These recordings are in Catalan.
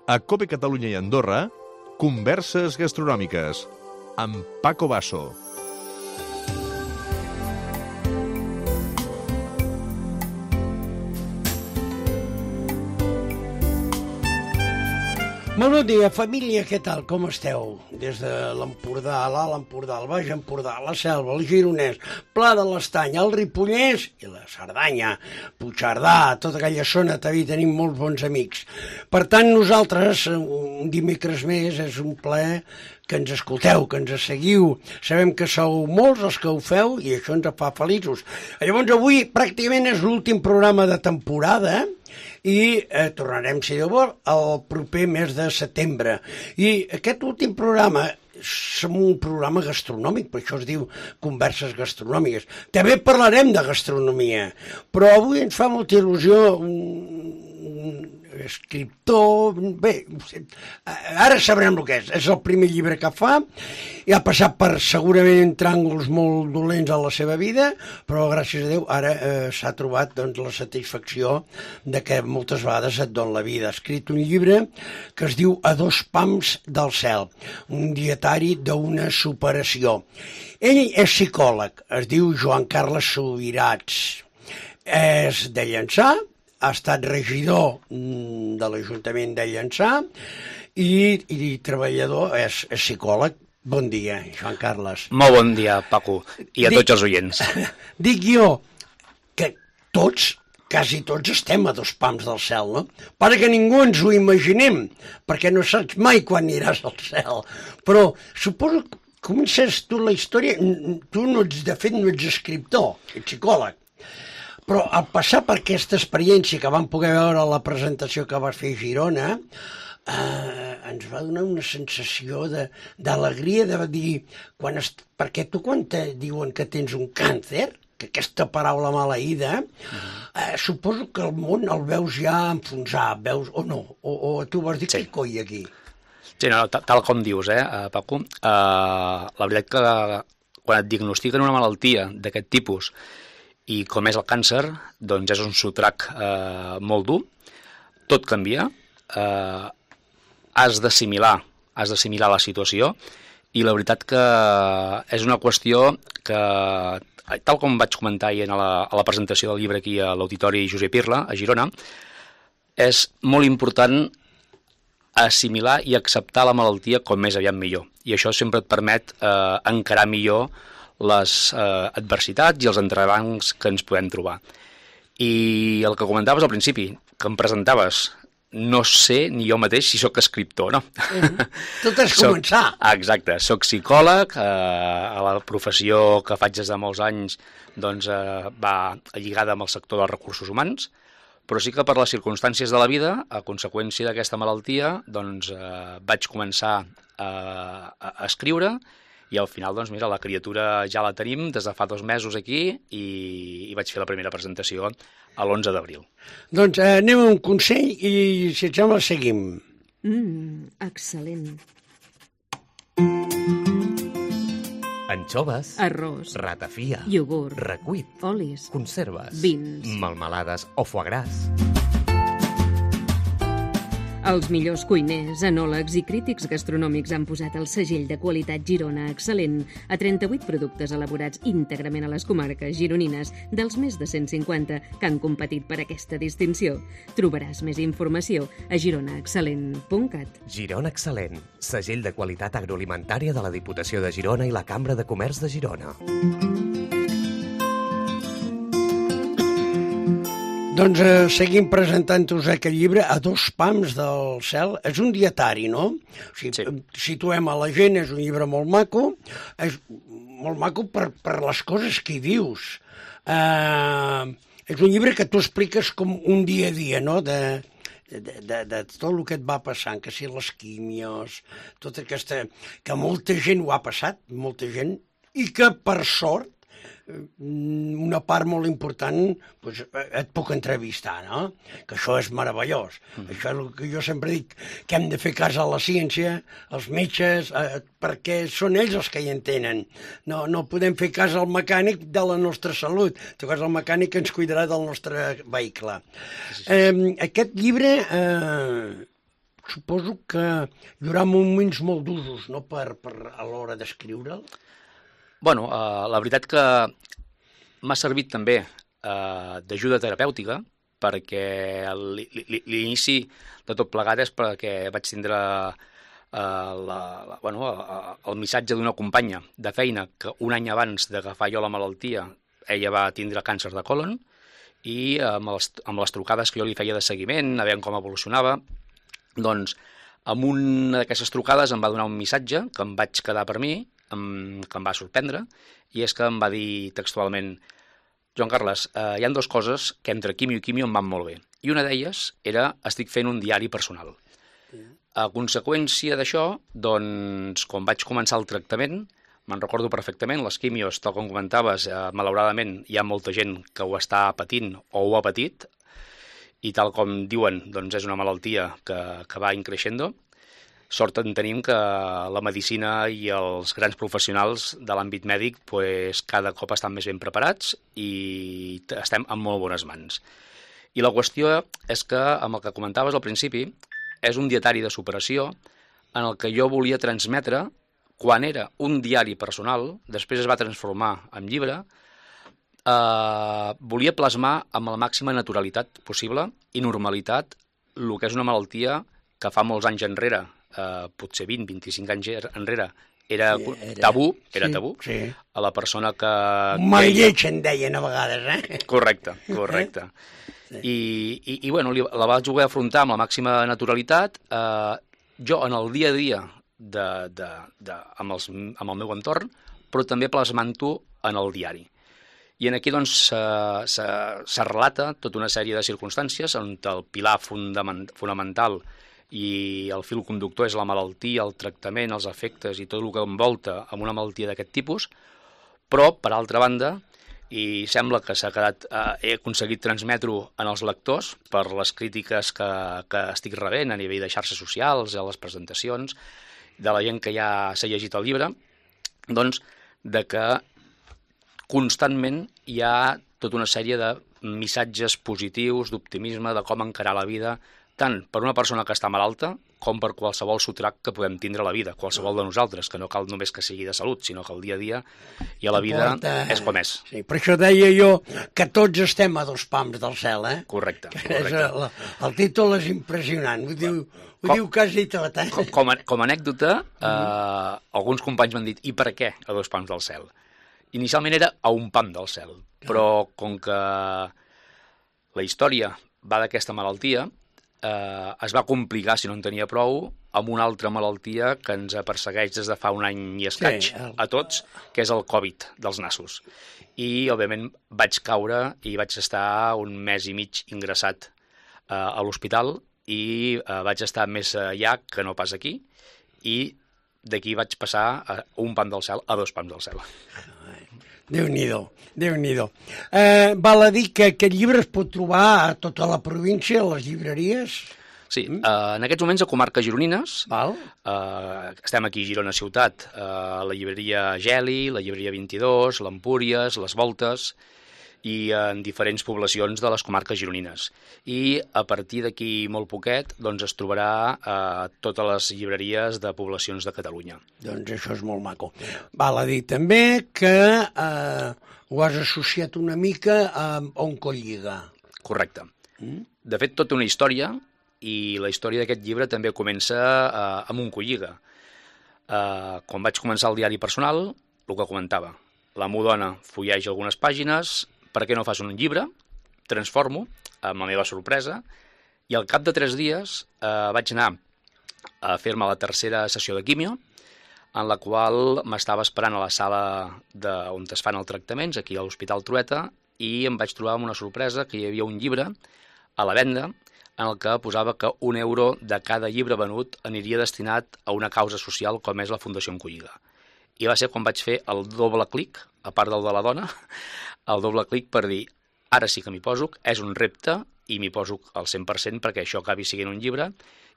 A COPE Catalunya i Andorra, Converses Gastronòmiques, amb Paco Basso. Molt bon dia, família, què tal? Com esteu? Des de l'Empordà, l'Alt Empordà, el Baix Empordà, la Selva, el Gironès, Pla de l'Estany, el Ripollès i la Cerdanya, Puigcerdà, tota aquella zona, també tenim molts bons amics. Per tant, nosaltres, un dimecres més, és un plaer que ens escolteu, que ens seguiu. Sabem que sou molts els que ho feu i això ens fa feliços. Llavors, avui pràcticament és l'últim programa de temporada, i tornarem, si Déu vol, el proper mes de setembre. I aquest últim programa és un programa gastronòmic, per això es diu Converses Gastronòmiques. També parlarem de gastronomia, però avui ens fa molta il·lusió un escriptor... Bé, ara sabrem el que és. És el primer llibre que fa, i ha passat per segurament tràngols molt dolents a la seva vida, però gràcies a Déu ara s'ha trobat la satisfacció de que moltes vegades et dona la vida. Ha escrit un llibre que es diu A dos pams del cel, un dietari d'una superació. Ell és psicòleg, es diu Joan Carles Subirats, és de Llançà, ha estat regidor de l'Ajuntament de Llançà i treballador, és psicòleg. Bon dia, Joan Carles. Molt bon dia, Paco, i a tots els oients. Dic jo que quasi tots estem a dos pams del cel, no? Perquè ningú ens ho imaginem, perquè no saps mai quan aniràs al cel. Però suposo que comences tu la història, tu no ets, de fet no ets escriptor, ets psicòleg. Però al passar per aquesta experiència que vam poder veure a la presentació que vas fer a Girona, ens va donar una sensació d'alegria de dir, perquè tu quan te diuen que tens un càncer, que aquesta paraula maleïda, suposo que el món el veus ja enfonsar, veus, o no? O tu vas dir, què coi aquí? Sí, no, tal com dius, Paco. La veritat que quan et diagnostiquen una malaltia d'aquest tipus, i com és el càncer, doncs és un sotrac molt dur, tot canvia, has d'assimilar la situació, i la veritat que és una qüestió que, tal com vaig comentar ahir a la presentació del llibre aquí a l'Auditori Josep Irla, a Girona, és molt important assimilar i acceptar la malaltia com més aviat millor, i això sempre et permet encarar millor les adversitats i els entrebancs que ens podem trobar. I el que comentaves al principi, que em presentaves, no sé ni jo mateix si sóc escriptor, no? Tot és començar. Exacte, sóc psicòleg, a la professió que faig des de molts anys doncs, va lligada amb el sector dels recursos humans, però sí que per les circumstàncies de la vida, a conseqüència d'aquesta malaltia, doncs vaig començar a escriure, i al final, doncs mira, la criatura ja la tenim des de fa 2 mesos aquí i vaig fer la primera presentació a l'11 d'abril. Doncs anem a un consell i, si et sembla, seguim. Excel·lent. Anxoves, Arròs, ratafia, iogurt, recuit, olis, conserves, vins, melmelades o foie gras. Els millors cuiners, enòlegs i crítics gastronòmics han posat el segell de qualitat Girona Excel·lent a 38 productes elaborats íntegrament a les comarques gironines dels més de 150 que han competit per aquesta distinció. Trobaràs més informació a gironaexcel·lent.cat. Girona Excel·lent, segell de qualitat agroalimentària de la Diputació de Girona i la Cambra de Comerç de Girona. Doncs seguim presentant-vos aquest llibre, A dos pams del cel. És un dietari, no? O sigui, sí. Situem a la gent, és un llibre molt maco, és molt maco per les coses que hi dius. És un llibre que tu expliques com un dia a dia, no?, de tot el que et va passant, que si les químios, tota aquesta... que molta gent ho ha passat, molta gent, i que per sort una part molt important doncs, et puc entrevistar, no? Que això és meravellós. Això és el que jo sempre dic, que hem de fer cas a la ciència, als metges, perquè són ells els que hi entenen. No podem fer cas al mecànic de la nostra salut, en tot cas el mecànic ens cuidarà del nostre vehicle. Aquest llibre suposo que hi haurà moments molt d'usos, no?, a l'hora d'escriure'l. Bueno, la veritat que m'ha servit també d'ajuda terapèutica, perquè l'inici de tot plegat és perquè vaig tindre el missatge d'una companya de feina que un any abans d'agafar jo la malaltia ella va tindre càncer de còlon i amb les trucades que jo li feia de seguiment, a veure com evolucionava, doncs amb una d'aquestes trucades em va donar un missatge que em vaig quedar per mi, que em va sorprendre, i és que em va dir textualment: Joan Carles, hi ha dues coses que entre quimio i quimio em van molt bé. I una d'elles era, estic fent un diari personal. A conseqüència d'això, doncs, quan vaig començar el tractament, me'n recordo perfectament, les quimios, tal com comentaves, malauradament hi ha molta gent que ho està patint o ho ha patit, i tal com diuen, doncs és una malaltia que va increixendo. Sort en tenim que la medicina i els grans professionals de l'àmbit mèdic pues, cada cop estan més ben preparats i estem en molt bones mans. I la qüestió és que, amb el que comentaves al principi, és un dietari de superació en el que jo volia transmetre, quan era un diari personal, després es va transformar en llibre, volia plasmar amb la màxima naturalitat possible i normalitat el que és una malaltia que fa molts anys enrere, potser 20-25 anys enrere, era tabú, sí. A la persona que... Un mal lleig en deien a vegades, Correcte. Sí. I bueno, la vaig voler afrontar amb la màxima naturalitat. Jo, en el dia a dia, amb el meu entorn, però també plasmant-ho en el diari. I aquí doncs se relata tota una sèrie de circumstàncies on el pilar fonamental i el fil conductor és la malaltia, el tractament, els efectes i tot el que envolta amb una malaltia d'aquest tipus, però, per altra banda, i sembla que he aconseguit transmetre-ho en els lectors per les crítiques que estic rebent a nivell de xarxes socials, a les presentacions, de la gent que ja s'ha llegit el llibre, doncs, de que constantment hi ha tota una sèrie de missatges positius, d'optimisme, de com encarar la vida, tant per una persona que està malalta com per qualsevol sotrac que podem tindre a la vida, qualsevol de nosaltres, que no cal només que sigui de salut, sinó que el dia a dia i a la vida és com és. Sí, per això deia jo que tots estem a 2 pams del cel, Correcte. El títol és impressionant, ho diu quasi tot, Com a anècdota, alguns companys m'han dit, i per què a 2 pams del cel? Inicialment era a 1 pam del cel, però com que la història va d'aquesta malaltia, es va complicar, si no en tenia prou, amb una altra malaltia que ens persegueix des de fa un any i escaig a tots, que és el Covid dels nassos. I, òbviament, vaig caure i vaig estar un mes i mig ingressat a l'hospital i vaig estar més allà que no pas aquí, i d'aquí vaig passar a 1 pam del cel a 2 pams del cel. Déu-n'hi-do. Val a dir que aquest llibre es pot trobar a tota la província, a les llibreries? Sí, en aquests moments a comarques gironines. Val. Estem aquí a Girona ciutat, la llibreria Geli, la llibreria 22, l'Empúries, les Voltes, i en diferents poblacions de les comarques gironines. I a partir d'aquí molt poquet doncs es trobarà a totes les llibreries de poblacions de Catalunya. Doncs això és molt maco. Val a dir també que ho has associat una mica a Oncolliga. Correcte. De fet, tota una història, i la història d'aquest llibre també comença amb Oncolliga. Quan vaig començar el diari personal, el que comentava, la meva dona fulleja algunes pàgines, per què no fas un llibre? Transformo, amb la meva sorpresa, i al cap de 3 dies vaig anar a fer-me la 3a sessió de quimio, en la qual m'estava esperant a la sala on es fan els tractaments, aquí a l'Hospital Trueta, i em vaig trobar amb una sorpresa que hi havia un llibre a la venda en el que posava que €1 de cada llibre venut aniria destinat a una causa social com és la Fundació Oncolliga. I va ser quan vaig fer el doble clic, a part del de la dona, el doble clic per dir, ara sí que m'hi poso, és un repte i m'hi poso al 100% perquè això acabi sent un llibre,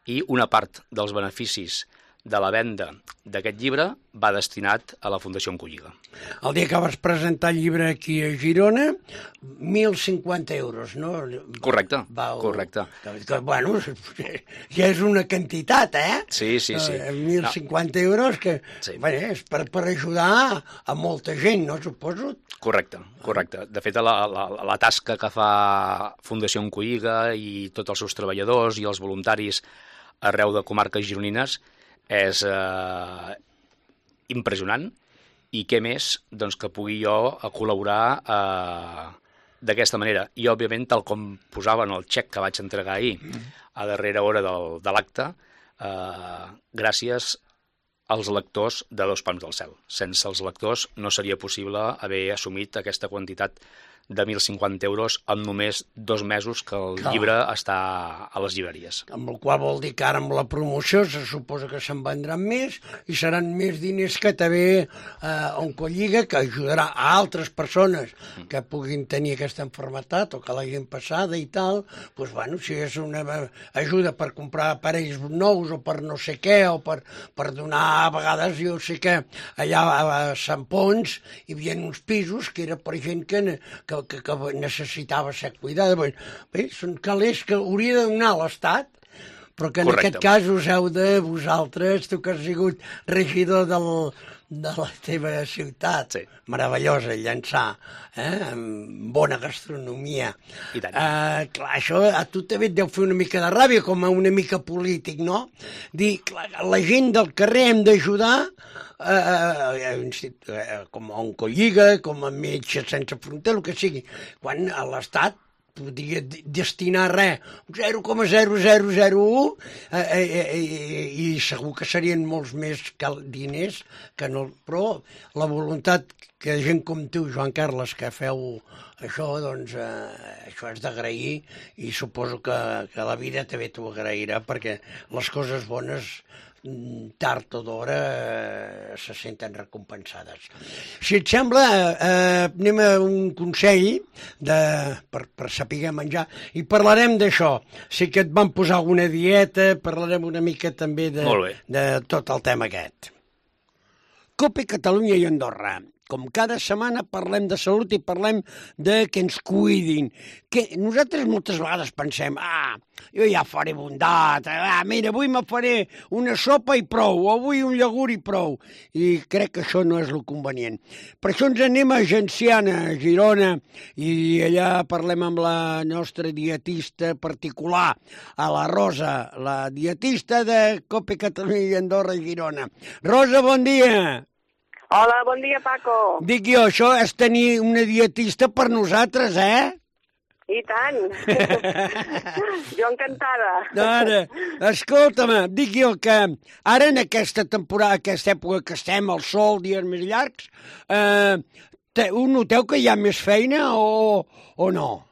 i una part dels beneficis de la venda d'aquest llibre va destinat a la Fundació Oncolliga. El dia que vas presentar el llibre aquí a Girona, 1.050 euros, no? Correcte, correcte. Bueno, ja és una quantitat, eh? Sí. 1.050 euros que és per ajudar a molta gent, no, suposo? Correcte. De fet, la tasca que fa Fundació Oncolliga i tots els seus treballadors i els voluntaris arreu de comarques gironines és impressionant, i què més doncs, que pugui jo col·laborar d'aquesta manera. I, òbviament, tal com posava en el xec que vaig entregar ahir a darrera hora de l'acte, gràcies als lectors de Dos Pams del Cel. Sense els lectors no seria possible haver assumit aquesta quantitat de 1.050 euros en només 2 mesos que el llibre està a les llibreries. Amb el qual vol dir que ara amb la promoció se suposa que se'n vendran més i seran més diners que també Oncolliga, que ajudarà a altres persones que puguin tenir aquesta malaltia o que l'hagin passada i tal. Doncs, bueno, si és una ajuda per comprar aparells nous o per no sé què, o per donar, a vegades jo sé que allà a Sant Pons hi havia uns pisos que era per gent que necessitava ser cuidada. Bé, són calés que hauria de donar l'Estat, però que en aquest cas us heu de vosaltres, tu que has sigut regidor de la teva ciutat, meravellosa, Llançà, amb bona gastronomia. I tant. Clar, això a tu també et deu fer una mica de ràbia, com a una mica polític, no? Dir, clar, la gent del carrer hem d'ajudar, com a Oncolliga, com a Metges Sense Fronteres, el que sigui, quan a l'Estat podria destinar res, 0,0001, i segur que serien molts més diners que no. Però la voluntat que gent com tu, Joan Carles, que feu això, doncs això és d'agrair, i suposo que la vida també t'ho agrairà, perquè les coses bones tard o d'hora se senten recompensades. Si et sembla, anem a un consell per saber menjar i parlarem d'això. Sí que et van posar alguna dieta, parlarem una mica també de tot el tema aquest. COPE Catalunya i Andorra. Com cada setmana parlem de salut i parlem de que ens cuidin. Que nosaltres moltes vegades pensem, jo ja faré bondat, mira, avui me faré una sopa i prou, o avui un iogurt i prou. I crec que això no és el convenient. Per això ens anem a Genciana, a Girona, i allà parlem amb la nostra dietista particular, a la Rosa, la dietista de COPE Catalunya i Andorra i Girona. Rosa, bon dia! Hola, bon dia, Paco. Dic jo, això és tenir una dietista per nosaltres, I tant. Jo encantada. Ara, escolta'm, dic jo que ara en aquesta temporada, aquesta època que estem, al sol, dies més llargs, noteu que hi ha més feina o no?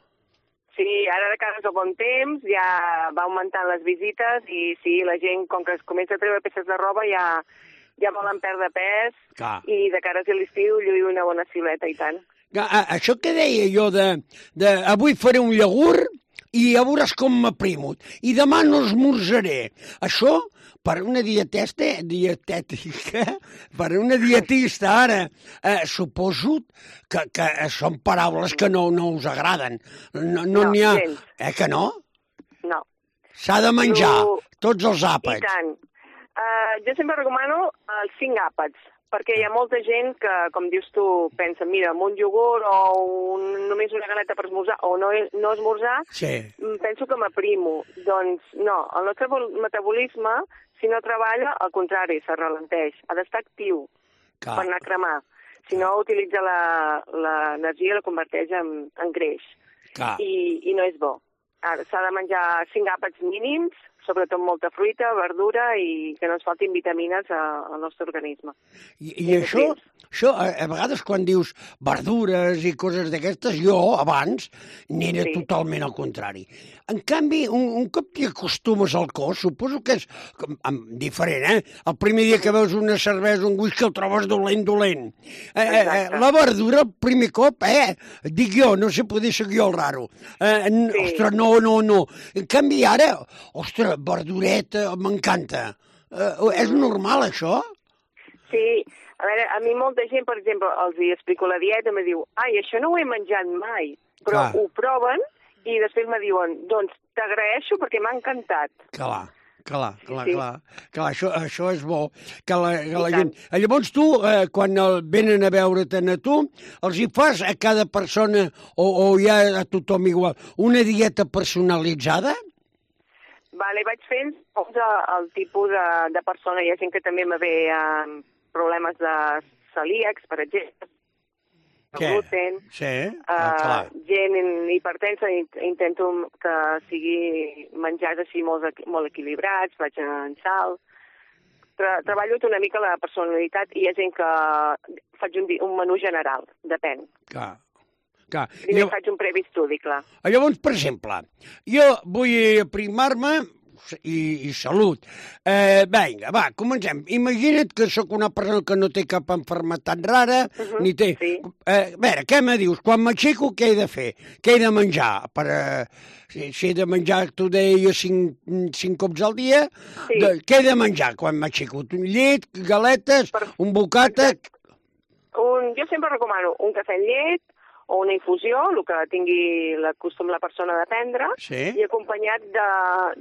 Sí, ara de cara al bon temps ja va augmentant les visites i sí, la gent, com que es comença a treure peces de roba, ja volen perdre pes. Clar. I de cara a l'estiu lluir una bona silueta, i tant. Això que deia jo avui faré un iogurt i ja veuràs com m'aprimo. I demà no esmorzaré. Això, per una dietètica, per una dietista ara, suposo que són paraules que no us agraden. No n'hi ha... Que no? No. S'ha de menjar, tots els àpats. I tant. Jo sempre recomano els 5 àpats, perquè hi ha molta gent que, com dius tu, pensa, mira, amb un iogurt o només una galeta per esmorzar o no esmorzar, penso que m'aprimo. Doncs no, el nostre metabolisme, si no treballa, al contrari, se ralenteix. Ha d'estar actiu per anar a cremar. Si no, utilitza l'energia i la converteix en greix. I no és bo. S'ha de menjar 5 àpats mínims, sobretot molta fruita, verdura i que no ens faltin vitamines al nostre organisme. I això, a vegades quan dius verdures i coses d'aquestes, jo abans n'era totalment al contrari. En canvi, un cop t'hi acostumes al cos, suposo que és diferent, El primer dia que veus una cervesa, un whisky, el trobes dolent. La verdura, el primer cop, dic jo, no sé, poder ser jo el raro. Ostres, no. En canvi, ara, ostres, verdureta, m'encanta. És normal, això? Sí, a veure, a mi molta gent, per exemple, els hi explico la dieta, me diu, ai, això no ho he menjat mai, però ho proven i després me diuen, doncs t'agraeixo perquè m'ha encantat. Clar, això és bo, que la gent... Llavors tu, quan venen a veure't a tu, els hi fas a cada persona, o ja a tothom igual, una dieta personalitzada? Vale, vaig fent el tipus de persona. Hi ha gent que també me ve amb problemes de celíacs, per exemple, gluten, gent hipertensa, intento que sigui menjars així molt equilibrats, vaig en sal. Treballo una mica la personalitat i hi ha gent que faig un menú general, depèn. Clar. Primer faig un previ estudi, clar. Llavors, per exemple, jo vull aprimar-me i salut. Vinga, va, comencem. Imagina't que sóc una persona que no té cap malaltia rara, ni té... A veure, què me dius? Quan m'aixeco, què he de fer? Què he de menjar? Si he de menjar, tu deies 5 cops al dia, què he de menjar quan m'aixeco? Llet, galetes, un bocata... Jo sempre recomano un cafè amb llet, o una infusió, el que tingui costum la persona de prendre, i acompanyat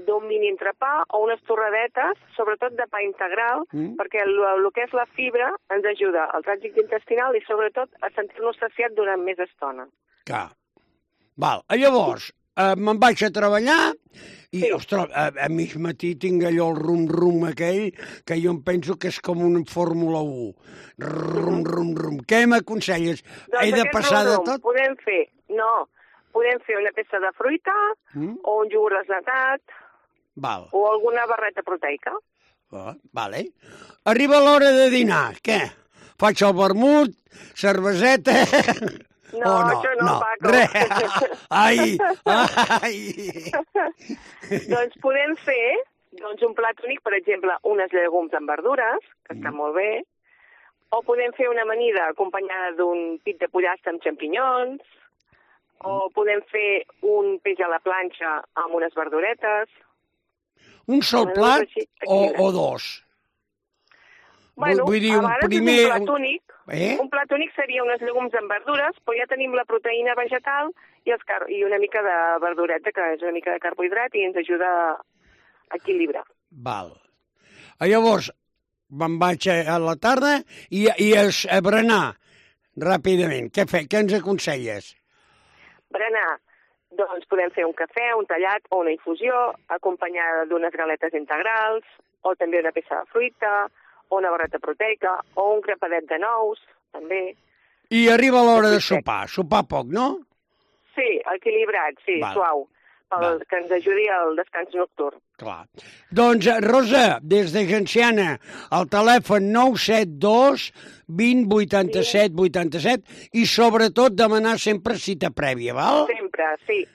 d'un mini entrepà o unes torradetes, sobretot de pa integral, perquè el que és la fibra ens ajuda al trànsit intestinal i sobretot a sentir-nos saciat durant més estona. Clar. Val. Llavors, me'n vaig a treballar i, ostres, a mig matí tinc allò el rum-rum aquell que jo em penso que és com una Fórmula 1. Rum-rum-rum. Què m'aconselles? He de passar de tot? Podem fer una peça de fruita o un iogurt desnatat o alguna barreta proteica. Vale. Arriba l'hora de dinar. Què? Faig el vermut, cerveseta... No, això no, Paco. Ai! Doncs podem fer un plat únic, per exemple, unes llegums amb verdures, que està molt bé, o podem fer una amanida acompanyada d'un pit de pollastre amb xampinyons, o podem fer un peix a la planxa amb unes verduretes. Un sol plat o dos? Bueno, vull dir, a vegades és un plat únic. Un plat únic seria unes llegums amb verdures, però ja tenim la proteïna vegetal i una mica de verdureta, que és una mica de carbohidrat i ens ajuda a equilibrar. Val. Llavors, me'n vaig a la tarda i a berenar ràpidament. Què ens aconselles? Berenar. Doncs podem fer un cafè, un tallat o una infusió, acompanyada d'unes galetes integrals, o també una peça de fruita, o una barreta proteica, o un crepadet de nous, també. I arriba l'hora de sopar. Sopar poc, no? Sí, equilibrat, suau, que ens ajudi al descans nocturn. Clar. Doncs, Rosa, des de Genciana, al telèfon 972 20 87 87 i sobretot demanar sempre cita prèvia, val? Sempre, sí.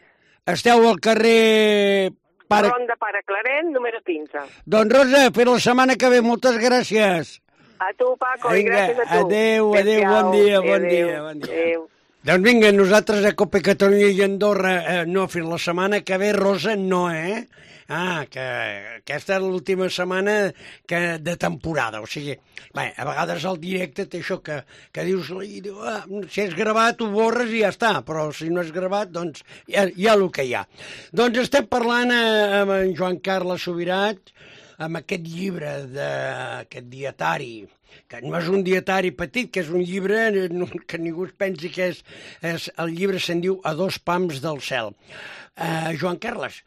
Esteu al carrer... Ronda Pare Claret, número 15. Doncs, Rosa, per la setmana que ve, moltes gràcies. A tu, Paco, i gràcies a tu. Adéu, bon dia. Adéu. Doncs vinga, nosaltres a Cope Catalunya i Andorra, no, fins la setmana que ve, Rosa, no, que aquesta és l'última setmana de temporada, o sigui, a vegades al directe té això que dius, si és gravat ho borres i ja està, però si no és gravat, doncs hi ha el que hi ha. Doncs estem parlant amb en Joan Carles Subirat, amb aquest llibre, aquest dietari, que no és un dietari petit, que és un llibre que ningú es pensi que és el llibre se'n diu A dos pams del cel. Joan Carles,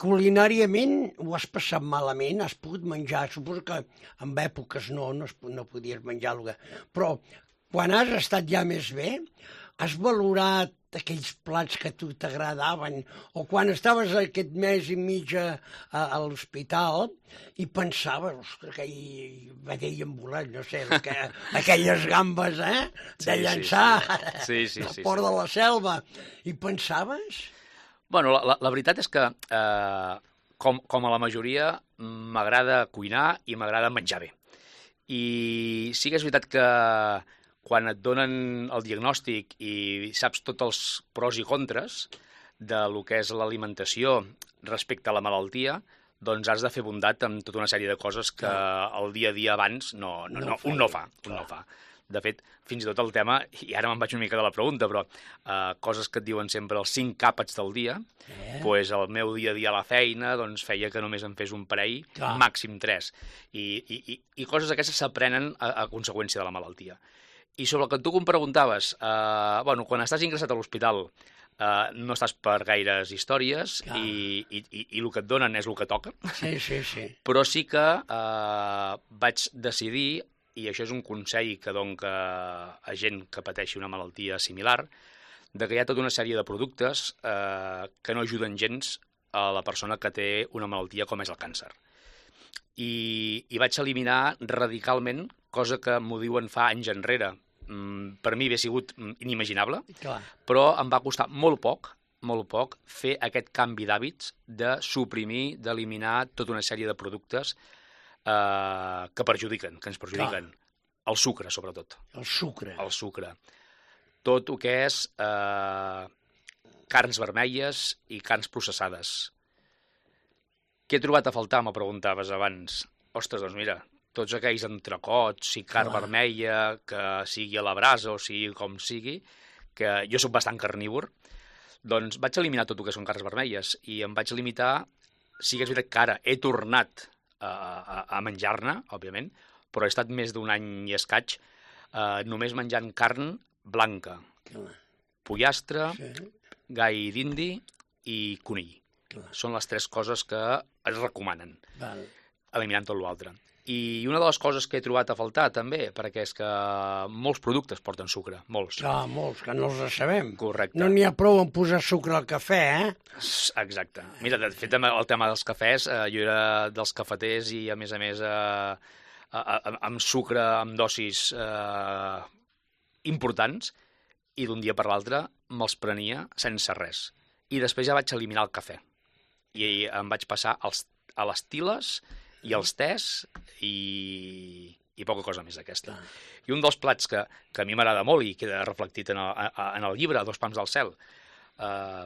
culinàriament ho has passat malament? Has pogut menjar? Suposo que en èpoques no podies menjar però quan has estat ja més bé, has valorat aquells plats que a tu t'agradaven, o quan estaves aquest mes i mig a l'hospital i pensaves, ostres, aquell vedell embolat, no sé, aquelles gambes, de llançar al port de la Selva, i pensaves? Bueno, la veritat és que, com a la majoria, m'agrada cuinar i m'agrada menjar bé. I sí que és veritat que quan et donen el diagnòstic i saps tots els pros i contres de lo que és l'alimentació respecte a la malaltia, doncs has de fer bondat amb tota una sèrie de coses que el dia a dia abans un no fa. De fet, fins i tot el tema, i ara me'n vaig una mica de la pregunta, però coses que et diuen sempre els 5 àpats del dia, doncs el meu dia a dia a la feina doncs feia que només em fes un parell, màxim 3. I coses aquestes s'aprenen a conseqüència de la malaltia. I sobre el que tu em preguntaves, quan estàs ingressat a l'hospital no estàs per gaires històries i el que et donen és el que toca. Sí. Però sí que vaig decidir, i això és un consell que dono a gent que pateixi una malaltia similar, que hi ha tota una sèrie de productes que no ajuden gens a la persona que té una malaltia com és el càncer. I vaig eliminar radicalment, cosa que m'ho diuen fa anys enrere, per mi havia sigut inimaginable, però em va costar molt poc fer aquest canvi d'hàbits de suprimir, d'eliminar tota una sèrie de productes que ens perjudiquen. El sucre, sobretot. El sucre. Tot el que és carns vermelles i carns processades. Què he trobat a faltar, me preguntaves abans? Ostres, doncs mira, tots aquells entrecots i carn vermella, que sigui a la brasa o sigui com sigui, que jo soc bastant carnívor, doncs vaig eliminar tot el que són carns vermelles i em vaig limitar, sí que és veritat que ara he tornat a menjar-ne, òbviament, però he estat més d'un any i escaig només menjant carn blanca, pollastre, gai d'indi i conill. Són les 3 coses que es recomanen, eliminant tot l'altre. I una de les coses que he trobat a faltar també, perquè és que molts productes porten sucre, molts. Molts, que no els sabem. Correcte. No n'hi ha prou en posar sucre al cafè, Exacte. Mira, de fet, el tema dels cafès, jo era dels cafeters i, a més, amb sucre, amb dosis importants, i d'un dia per l'altre me'ls prenia sense res. I després ja vaig eliminar el cafè. I em vaig passar a les tiles i els tés i poca cosa més d'aquesta. I un dels plats que a mi m'agrada molt i queda reflectit en el llibre, 2 pams del cel,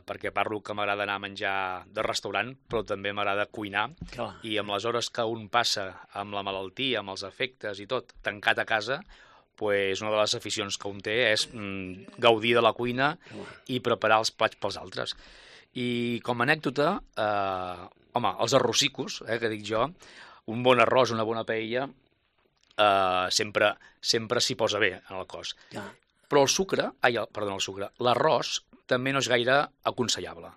perquè parlo que m'agrada anar a menjar de restaurant, però també m'agrada cuinar, i amb les hores que un passa amb la malaltia, amb els efectes i tot, tancat a casa, pues una de les aficions que un té és gaudir de la cuina i preparar els plats pels altres. I com a anècdota, els arrossicos, que dic jo, un bon arròs, una bona paella, sempre s'hi posa bé en el cos. Però l'arròs també no és gaire aconsellable.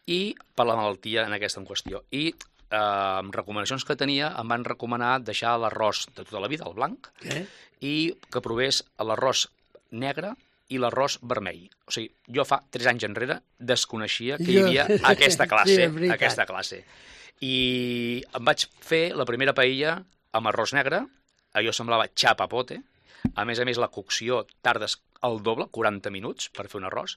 I per la malaltia en aquesta en qüestió. I amb recomanacions que tenia em van recomanar deixar l'arròs de tota la vida, el blanc, i que provés l'arròs negre i l'arròs vermell. O sigui, jo fa 3 anys enrere desconeixia que hi havia aquesta classe. I em vaig fer la primera paella amb arròs negre, allò semblava chapapote, a més, la cocció tardes el doble, 40 minuts, per fer un arròs,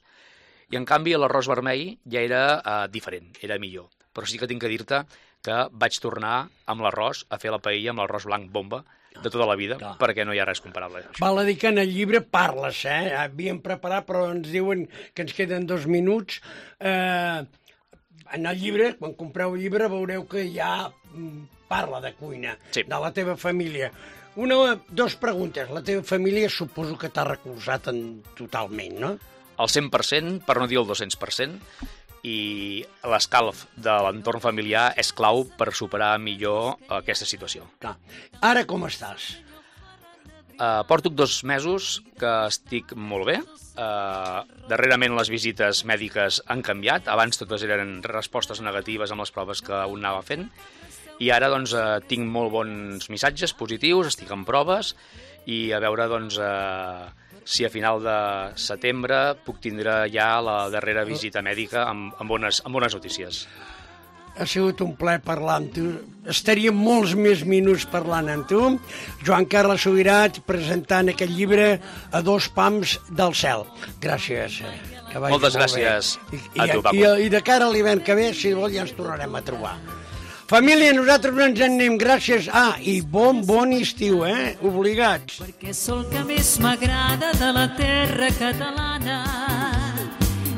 i en canvi l'arròs vermell ja era diferent, era millor. Però sí que tinc que dir-te que vaig tornar amb l'arròs a fer la paella amb l'arròs blanc bomba de tota la vida, perquè no hi ha res comparable. Val a dir que en el llibre parles, havíem preparat, però ens diuen que ens queden 2 minuts. En el llibre, quan compreu el llibre, veureu que ja parla de cuina, de la teva família. 2 preguntes. La teva família suposo que t'ha recolzat totalment, no? El 100%, per no dir el 200%, i l'escalf de l'entorn familiar és clau per superar millor aquesta situació. Ara com estàs? Porto 2 mesos que estic molt bé. Darrerament les visites mèdiques han canviat. Abans totes eren respostes negatives amb les proves que un anava fent. I ara doncs tinc molt bons missatges positius, estic en proves i a veure doncs si a final de setembre puc tindre ja la darrera visita mèdica amb bones notícies. Ha sigut un plaer parlar amb tu. Estaríem molts més minuts parlant amb tu. Joan Carles Subirats presentant aquest llibre a 2 pams del cel. Gràcies. Moltes gràcies a tu, Paco. I de cara a l'hivern que ve, si vol, ja ens tornarem a trobar. Família, nosaltres no ens en anem. Gràcies. I bon estiu, obligats. Perquè sol que més m'agrada de la terra catalana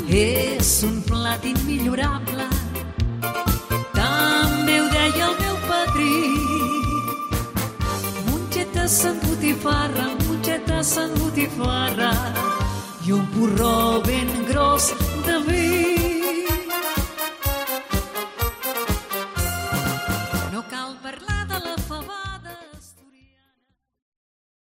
és un plat immillorable. També ho deia botifarra, mongetes amb botifarra i un porró ben gros de vi.